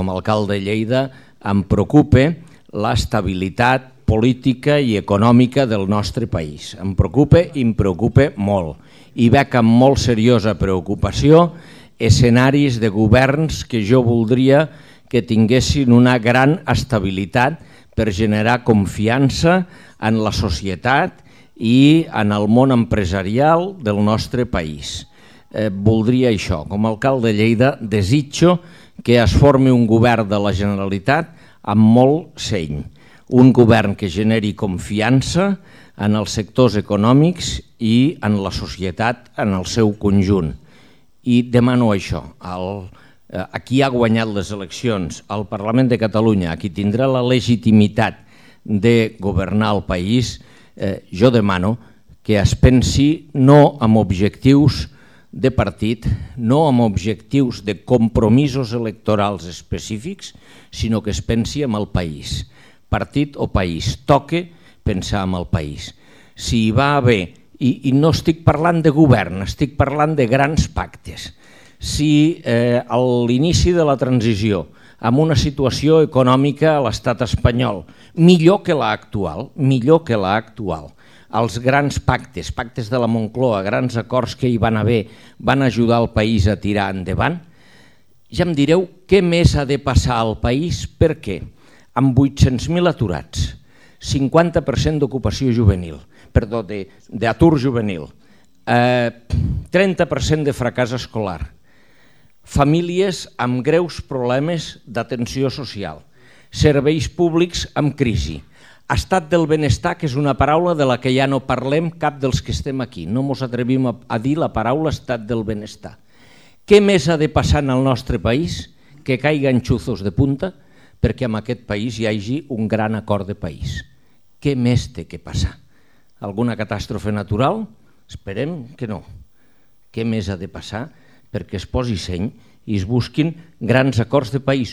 Com a alcalde de Lleida em preocupa l'estabilitat política i econòmica del nostre país. Em preocupa i em preocupa molt. I veig amb molt seriosa preocupació escenaris de governs que jo voldria que tinguessin una gran estabilitat per generar confiança en la societat i en el món empresarial del nostre país. Voldria això. Com a alcalde de Lleida desitjo que es formi un govern de la Generalitat amb molt seny. Un govern que generi confiança en els sectors econòmics i en la societat en el seu conjunt. I demano això. A qui ha guanyat les eleccions, al Parlament de Catalunya, a qui tindrà la legitimitat de governar el país, jo demano que es pensi no amb objectius de partit, no amb objectius de compromisos electorals específics, sinó que es pensi en el país. Partit o país, toca pensar en el país. Si hi va haver, i no estic parlant de govern, estic parlant de grans pactes, si a l'inici de la transició, amb una situació econòmica a l'estat espanyol millor que l'actual, els grans pactes, pactes de la Moncloa, grans acords que hi van haver, van ajudar el país a tirar endavant, ja em direu què més ha de passar al país, per què? Amb 800.000 aturats, 50% d'ocupació juvenil, perdó, d'atur juvenil, 30% de fracàs escolar, famílies amb greus problemes d'atenció social, serveis públics amb crisi, estat del benestar, que és una paraula de la que ja no parlem cap dels que estem aquí, no ens atrevim a dir la paraula estat del benestar. Què més ha de passar en el nostre país que caiguen xuzos de punta perquè en aquest país hi hagi un gran acord de país? Què més té que passar? Alguna catàstrofe natural? Esperem que no. Què més ha de passar perquè es posi seny i es busquin grans acords de país?